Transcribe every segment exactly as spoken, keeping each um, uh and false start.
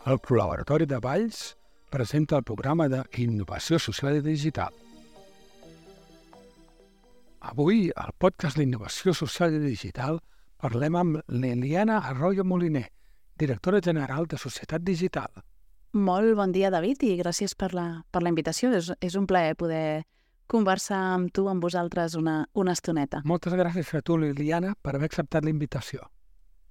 El Laboratori de Valls presenta el programa d'Innovació Social i Digital. Avui, al podcast d'Innovació Social i Digital, parlem amb l'Eliana Arroyo Moliner, directora general de Societat Digital. Molt bon dia, David, i gràcies per la, per la invitació. És, és un plaer poder conversar amb tu, amb vosaltres, una, una estoneta. Moltes gràcies a tu, Liliana, per haver acceptat la invitació.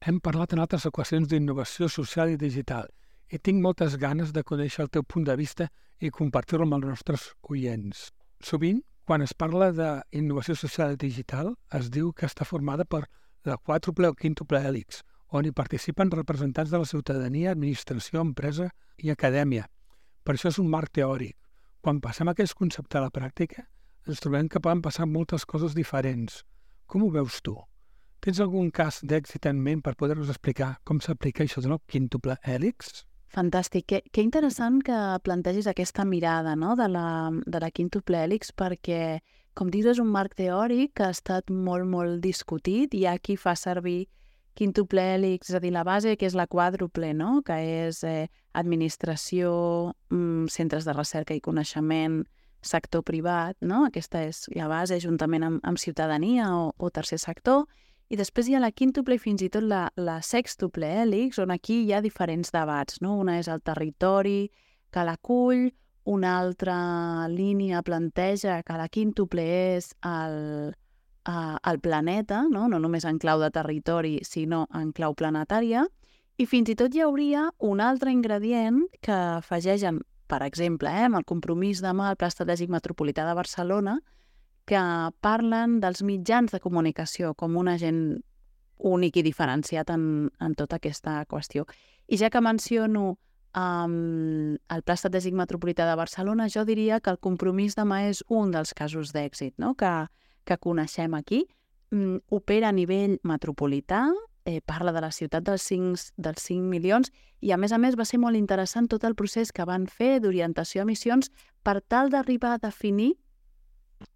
Hem parlat en altres equacions d'innovació social i digital i tinc moltes ganes de conèixer el teu punt de vista i compartir-lo amb els nostres oients. Sovint, quan es parla d'innovació social i digital, es diu que està formada per la quàdruple o quíntuple hèlix, on hi participen representants de la ciutadania, administració, empresa i acadèmia. Per això és un marc teòric. Quan passem aquest concepte a la pràctica, ens trobem que poden passar moltes coses diferents. Com ho veus tu? Tens algun cas d'èxit en ment per poder-nos explicar com s'aplica això del quíntuple hèlix? Fantàstic. Que, que interessant que plantegis aquesta mirada, no?, de la, de la quíntuple hèlix, perquè, com dius, és un marc teòric que ha estat molt, molt discutit. Hi ha qui fa servir quíntuple hèlix, és a dir, la base, que és la quàdruple, no?, que és eh, administració, mm, centres de recerca i coneixement, sector privat, no? Aquesta és la base, juntament amb, amb ciutadania o, o tercer sector. I després hi ha la quíntuple i fins i tot la, la sextuple hèlix, on aquí hi ha diferents debats, no? Una és el territori que l'acull, una altra línia planteja que la quíntuple és el, uh, el planeta, no? No només en clau de territori, sinó en clau planetària, i fins i tot hi hauria un altre ingredient que afegeixen, per exemple, eh, amb el compromís demà al Pla Estratègic Metropolità de Barcelona, que parlen dels mitjans de comunicació com un agent únic i diferenciat en, en tota aquesta qüestió. I ja que menciono um, el Pla Estratègic Metropolità de Barcelona, jo diria que el compromís demà és un dels casos d'èxit, no?, que, que coneixem aquí. Um, opera a nivell metropolità, eh, parla de la ciutat dels cinc, dels cinc milions i, a més a més, va ser molt interessant tot el procés que van fer d'orientació a missions per tal d'arribar a definir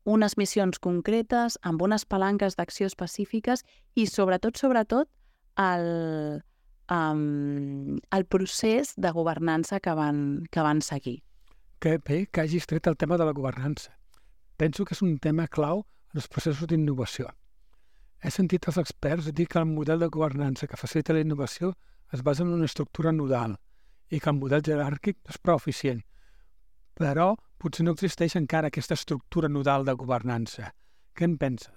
unes missions concretes, amb unes palanques d'acció específiques i, sobretot, sobretot, el, um, el procés de governança que van, que van seguir. Que bé que hagis tret el tema de la governança. Penso que és un tema clau en els processos d'innovació. He sentit els experts dir que el model de governança que facilita la innovació es basa en una estructura nodal i que el model jeràrquic no és prou eficient. Però potser no existeix encara aquesta estructura nodal de governança. Què en penses?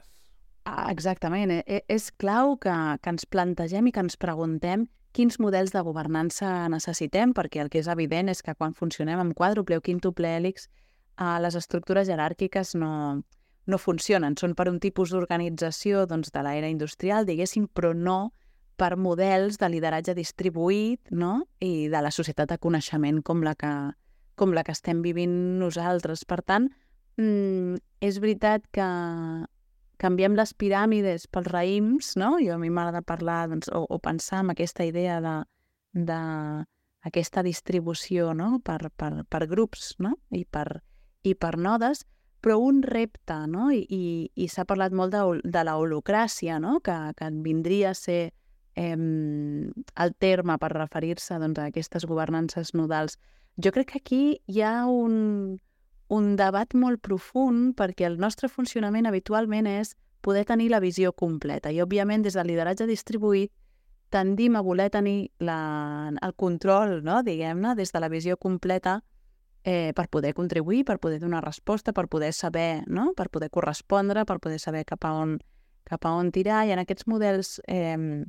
Ah, exactament. Eh? És clau que, que ens plantegem i que ens preguntem quins models de governança necessitem, perquè el que és evident és que quan funcionem amb quàdruple o quíntuple hèlix, eh, les estructures jeràrquiques no, no funcionen. Són per un tipus d'organització, doncs, de l'era industrial, diguéssim, però no per models de lideratge distribuït, no?, i de la societat de coneixement com la que com la que estem vivint nosaltres. Per tant, mm, és veritat que canviem les piràmides pels raïms, no? Jo a mi m'agrada parlar, doncs, o, o pensar en aquesta idea de, de aquesta distribució, no?, per, per, per grups, no?, i per, i per nodes, però un repte, no?, i, i, i s'ha parlat molt de, de la holocràcia, no?, que, que vindria a ser eh, el terme per referir-se, doncs, a aquestes governances nodals. Jo crec que aquí hi ha un, un debat molt profund perquè el nostre funcionament habitualment és poder tenir la visió completa i, òbviament, des del lideratge distribuït tendim a voler tenir la, el control, no?, diguem-ne, des de la visió completa eh, per poder contribuir, per poder donar resposta, per poder saber, no?, per poder correspondre, per poder saber cap a on, cap a on tirar. I en aquests models eh,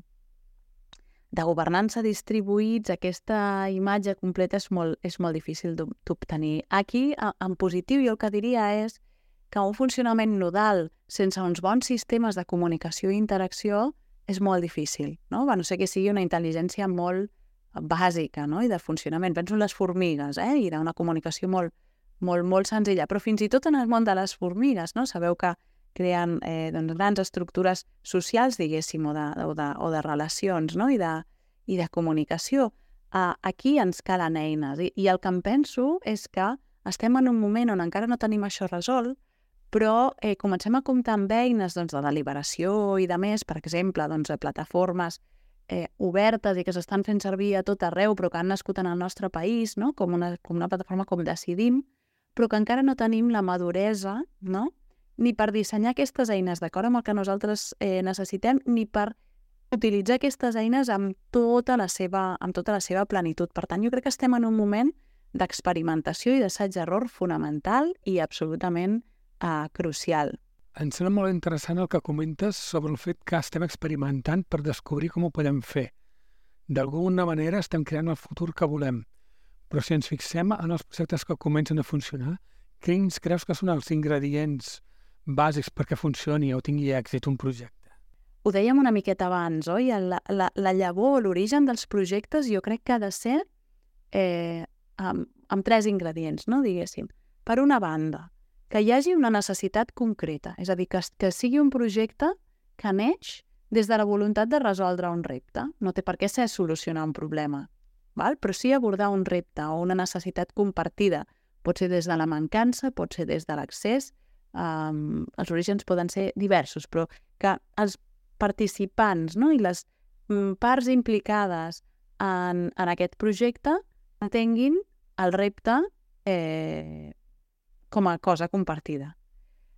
de governança distribuïts, aquesta imatge completa és molt, és molt difícil d'obtenir. Aquí, en positiu, jo el que diria és que un funcionament nodal sense uns bons sistemes de comunicació i interacció és molt difícil, no? A no ser que sigui una intel·ligència molt bàsica, no?, i de funcionament. Penso en les formigues, eh? I una comunicació molt, molt, molt senzilla. Però fins i tot en el món de les formigues, no? Sabeu que creen eh, doncs, grans estructures socials, diguéssim, o de, o de, o de relacions, no?, i de, i de comunicació. Uh, aquí ens calen eines. I, I el que em penso és que estem en un moment on encara no tenim això resolt, però eh, comencem a comptar amb eines, doncs, de deliberació i de més, per exemple, doncs, plataformes eh, obertes i que s'estan fent servir a tot arreu, però que han nascut en el nostre país, no? com, una, com una plataforma com Decidim, però que encara no tenim la maduresa, no? Ni per dissenyar aquestes eines d'acord amb el que nosaltres eh, necessitem, ni per utilitzar aquestes eines amb tota la seva, amb tota la seva plenitud. Per tant, jo crec que estem en un moment d'experimentació i d'assaig-error fonamental i absolutament eh, crucial. Em sembla molt interessant el que comentes sobre el fet que estem experimentant per descobrir com ho podem fer. D'alguna manera estem creant el futur que volem, però si ens fixem en els projectes que comencen a funcionar, quins creus que són els ingredients bàsics perquè funcioni o tingui èxit un projecte? Ho dèiem una miqueta abans, oi? La, la, la llavor, l'origen dels projectes jo crec que ha de ser eh, amb, amb tres ingredients, no? Diguéssim. Per una banda, que hi hagi una necessitat concreta, és a dir, que, que sigui un projecte que neix des de la voluntat de resoldre un repte. No té per què ser solucionar un problema, val? Però sí abordar un repte o una necessitat compartida. Pot ser des de la mancança, pot ser des de l'accés, um, els orígens poden ser diversos, però que els participants, no? I les mm, parts implicades en, en aquest projecte entenguin el repte eh, com a cosa compartida.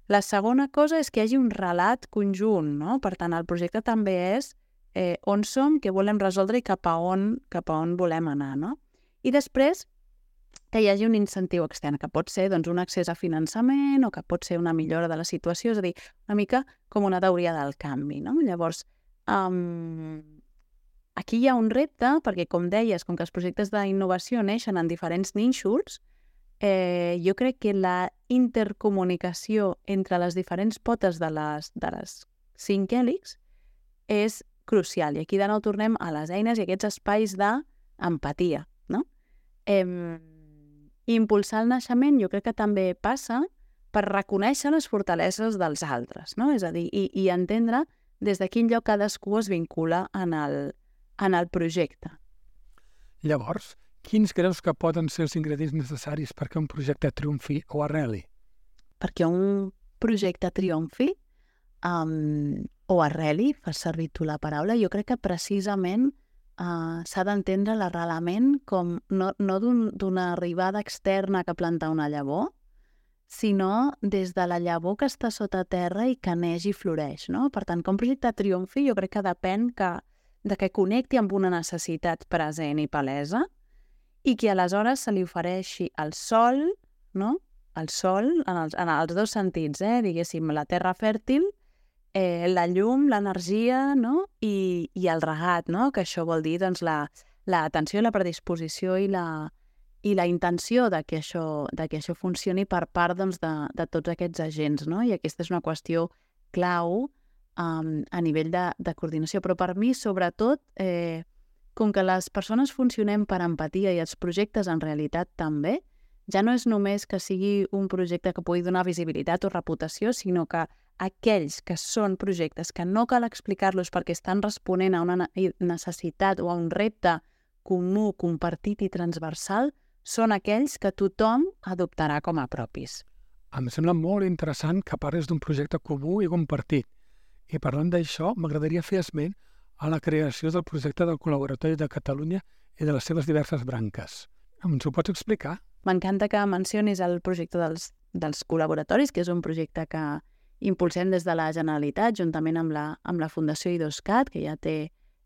La segona cosa és que hi hagi un relat conjunt, no? Per tant, el projecte també és eh, on som, què volem resoldre i cap a on, cap a on volem anar, no? I després que hi hagi un incentiu extern, que pot ser doncs, un accés a finançament o que pot ser una millora de la situació, és a dir, una mica com una teoria del canvi, no? Llavors, um, aquí hi ha un repte, perquè com deies, com que els projectes d'innovació neixen en diferents nínxols, eh, jo crec que la intercomunicació entre les diferents potes de les, de les cinc hèlixs és crucial. I aquí de nou tornem a les eines i aquests espais d'empatia, no? Eh, impulsar el naixement jo crec que també passa per reconèixer les fortaleses dels altres, no? És a dir, i, i entendre des de quin lloc cadascú es vincula en el, en el projecte. Llavors, quins creus que poden ser els ingredients necessaris perquè un projecte triomfi o arreli? Perquè un projecte triomfi um, o arreli, fas servir tu la paraula, jo crec que precisament Uh, s'ha d'entendre l'arrelament com no, no d'una un, arribada externa que planta una llavor, sinó des de la llavor que està sota terra i que neix i floreix, no? Per tant, que un projecte triomfi jo crec que depèn que, de que connecti amb una necessitat present i palesa i que aleshores se li ofereixi el sol, no? El sol en els, en els dos sentits, eh? Diguéssim, la terra fèrtil, Eh, la llum, l'energia, no? I, i el regat, no? Que això vol dir doncs, la, l'atenció, la predisposició i la, i la intenció de que això, de que això funcioni per part doncs, de, de tots aquests agents, no? I aquesta és una qüestió clau um, a nivell de, de coordinació. Però per mi, sobretot, eh, com que les persones funcionem per empatia i els projectes en realitat també, ja no és només que sigui un projecte que pugui donar visibilitat o reputació, sinó que aquells que són projectes que no cal explicar-los perquè estan responent a una necessitat o a un repte comú, compartit i transversal, són aquells que tothom adoptarà com a propis. Em sembla molt interessant que parles d'un projecte comú i compartit. I parlant d'això, m'agradaria fer esment a la creació del projecte del Col·laboratori de Catalunya i de les seves diverses branques. Ens ho pots explicar? M'encanta que mencionis el projecte dels, dels col·laboratoris, que és un projecte que impulsem des de la Generalitat, juntament amb la, amb la Fundació IDOSCAT, que ja té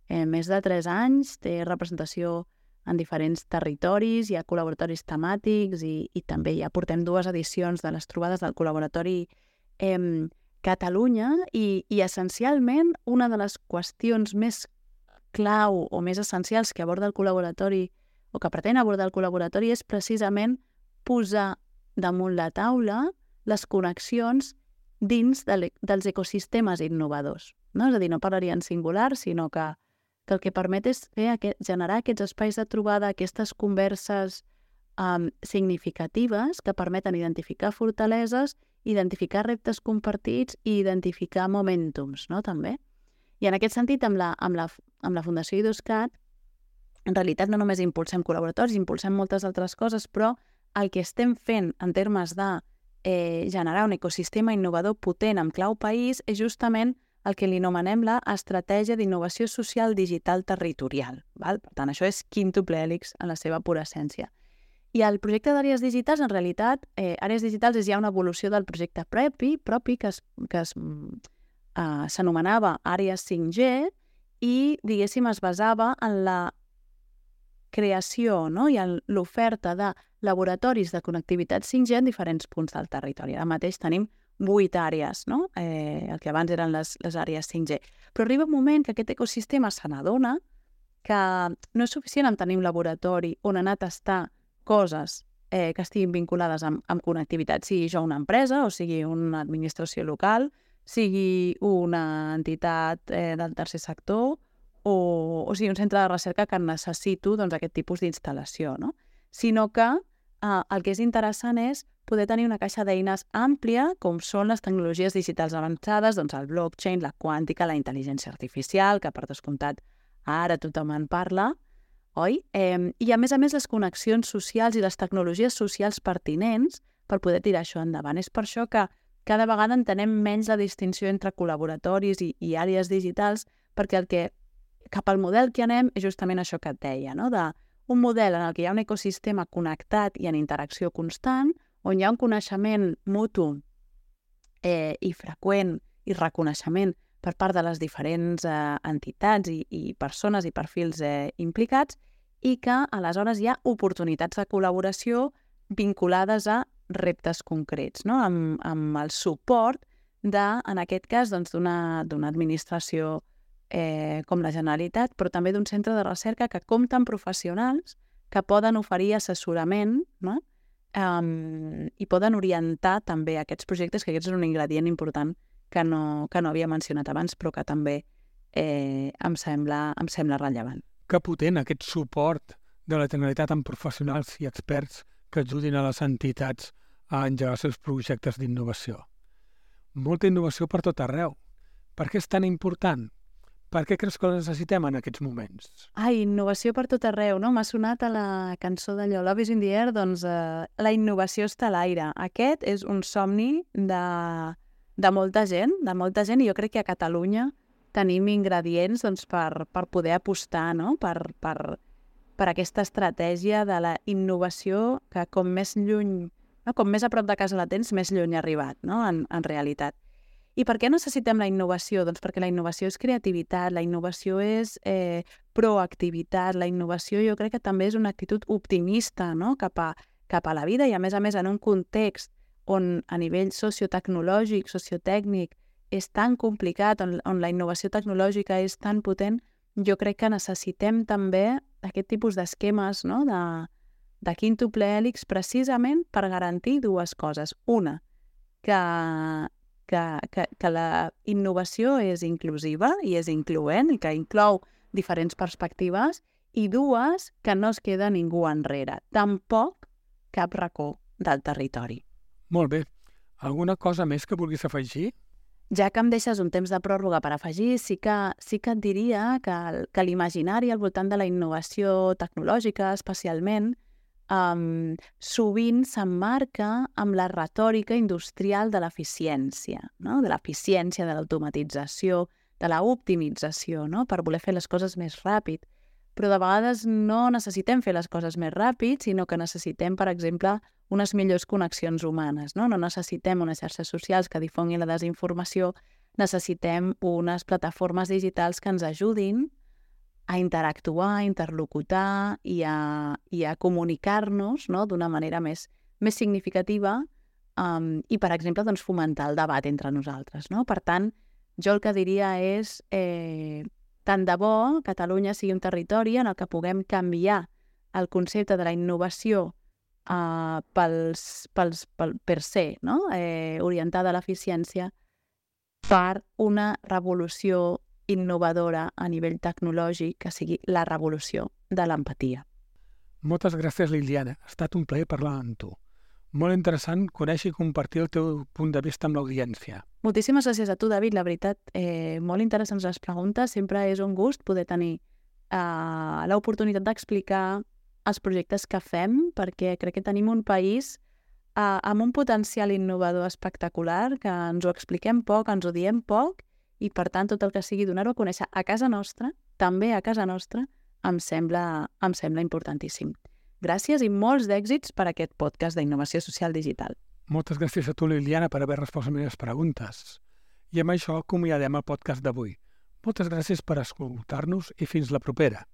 eh, més de tres anys, té representació en diferents territoris, hi ha col·laboratoris temàtics i, i també ja portem dues edicions de les trobades del col·laboratori eh, Catalunya i, i essencialment una de les qüestions més clau o més essencials que aborda el col·laboratori o que pretén abordar el col·laboratori és precisament posar damunt la taula les connexions dins de dels ecosistemes innovadors. No? És a dir, no parlaria en singular, sinó que, que el que permet és fer aquest, generar aquests espais de trobada, aquestes converses um, significatives que permeten identificar fortaleses, identificar reptes compartits i identificar momentums, no? També. I en aquest sentit, amb la, amb la, amb la Fundació IDOSCAT, en realitat no només impulsem col·laboratoris, impulsem moltes altres coses, però el que estem fent en termes de eh, generar un ecosistema innovador potent amb clau país és justament el que li anomenem la Estratègia d'Innovació Social Digital Territorial. Val? Per tant, això és Quíntuple Hèlix en la seva pura essència. I el projecte d'àrees digitals, en realitat, eh, àrees digitals és ja una evolució del projecte propi, propi que es, que es, eh, s'anomenava Àrees cinc G i, diguéssim, es basava en la creació, no? I en l'oferta de laboratoris de connectivitat cinc G en diferents punts del territori. Ara mateix tenim vuit àrees, no? Eh, el que abans eren les, les àrees cinc G. Però arriba un moment que aquest ecosistema se n'adona que no és suficient amb tenir un laboratori on anar a tastar coses eh, que estiguin vinculades amb, amb connectivitat, sigui jo una empresa o sigui una administració local, sigui una entitat eh, del tercer sector o, o sigui un centre de recerca que necessito doncs, aquest tipus d'instal·lació, no? Sinó que eh, el que és interessant és poder tenir una caixa d'eines àmplia, com són les tecnologies digitals avançades, doncs el blockchain, la quàntica, la intel·ligència artificial, que per descomptat ara tothom en parla, oi? Eh, I a més a més les connexions socials i les tecnologies socials pertinents per poder tirar això endavant. És per això que cada vegada entenem menys la distinció entre col·laboratoris i, i àrees digitals, perquè el que cap al model que anem és justament això que et deia, no? De un model en el que hi ha un ecosistema connectat i en interacció constant, on hi ha un coneixement mutu eh, i freqüent i reconeixement per part de les diferents eh, entitats i, i persones i perfils eh, implicats, i que aleshores hi ha oportunitats de col·laboració vinculades a reptes concrets, no? amb, amb el suport de, en aquest cas, doncs, d'una d'una administració eh, com la Generalitat, però també d'un centre de recerca que compta amb professionals que poden oferir assessorament, no? Um, i poden orientar també aquests projectes, que aquest és un ingredient important que no, que no havia mencionat abans, però que també eh, em, sembla, em sembla rellevant. Que potent aquest suport de la Generalitat amb professionals i experts que ajudin a les entitats a engegar els seus projectes d'innovació. Molta innovació per tot arreu. Per què és tan important? Per què creus que la necessitem en aquests moments? Ai, innovació per tot arreu, no? M'ha sonat a la cançó d'allò Love is in the air, doncs eh, la innovació està a l'aire. Aquest és un somni de, de molta gent, de molta gent, i jo crec que a Catalunya tenim ingredients doncs, per, per poder apostar, no? per, per, per aquesta estratègia de la innovació que com més lluny, no? Com més a prop de casa la tens, més lluny ha arribat, no? en, en realitat. I per què necessitem la innovació? Doncs perquè la innovació és creativitat, la innovació és eh, proactivitat, la innovació jo crec que també és una actitud optimista, no? cap, a, cap a la vida, i a més a més en un context on a nivell sociotecnològic, sociotècnic, és tan complicat, on, on la innovació tecnològica és tan potent, jo crec que necessitem també aquest tipus d'esquemes, no? de, de quíntuple hèlix precisament per garantir dues coses. Una, que Que, que, que la innovació és inclusiva i és incloent i que inclou diferents perspectives, i dues, que no es queda ningú enrere, tampoc cap racó del territori. Molt bé. Alguna cosa més que vulguis afegir? Ja que em deixes un temps de pròrroga per afegir, sí que, sí que et diria que, que l'imaginari al voltant de la innovació tecnològica, especialment, Um, sovint s'emmarca amb la retòrica industrial de l'eficiència, no? de l'eficiència, de l'automatització, de l'optimització, no? per voler fer les coses més ràpid. Però de vegades no necessitem fer les coses més ràpid, sinó que necessitem, per exemple, unes millors connexions humanes. No, no necessitem unes xarxes socials que difonguin la desinformació, necessitem unes plataformes digitals que ens ajudin a interactuar, a interlocutar i a, i a comunicar-nos, no? d'una manera més, més significativa um, i, per exemple, doncs, fomentar el debat entre nosaltres. No? Per tant, jo el que diria és eh, tant de bo Catalunya sigui un territori en el que puguem canviar el concepte de la innovació uh, pels, pels, pel per se, no? eh, orientada a l'eficiència, per una revolució innovadora a nivell tecnològic, que sigui la revolució de l'empatia. Moltes gràcies, Liliana. Ha estat un plaer parlar amb tu. Molt interessant conèixer i compartir el teu punt de vista amb l'audiència. Moltíssimes gràcies a tu, David. La veritat, eh, molt interessants les preguntes. Sempre és un gust poder tenir eh, l'oportunitat d'explicar els projectes que fem, perquè crec que tenim un país eh, amb un potencial innovador espectacular, que ens ho expliquem poc, ens ho diem poc, i per tant tot el que sigui donar-ho a conèixer a casa nostra, també a casa nostra, em sembla, em sembla importantíssim. Gràcies i molts d'èxits per aquest podcast d'innovació social digital. Moltes gràcies a tu, Liliana, per haver respost a les meves preguntes. I amb això acomiadem el podcast d'avui. Moltes gràcies per escoltar-nos i fins la propera.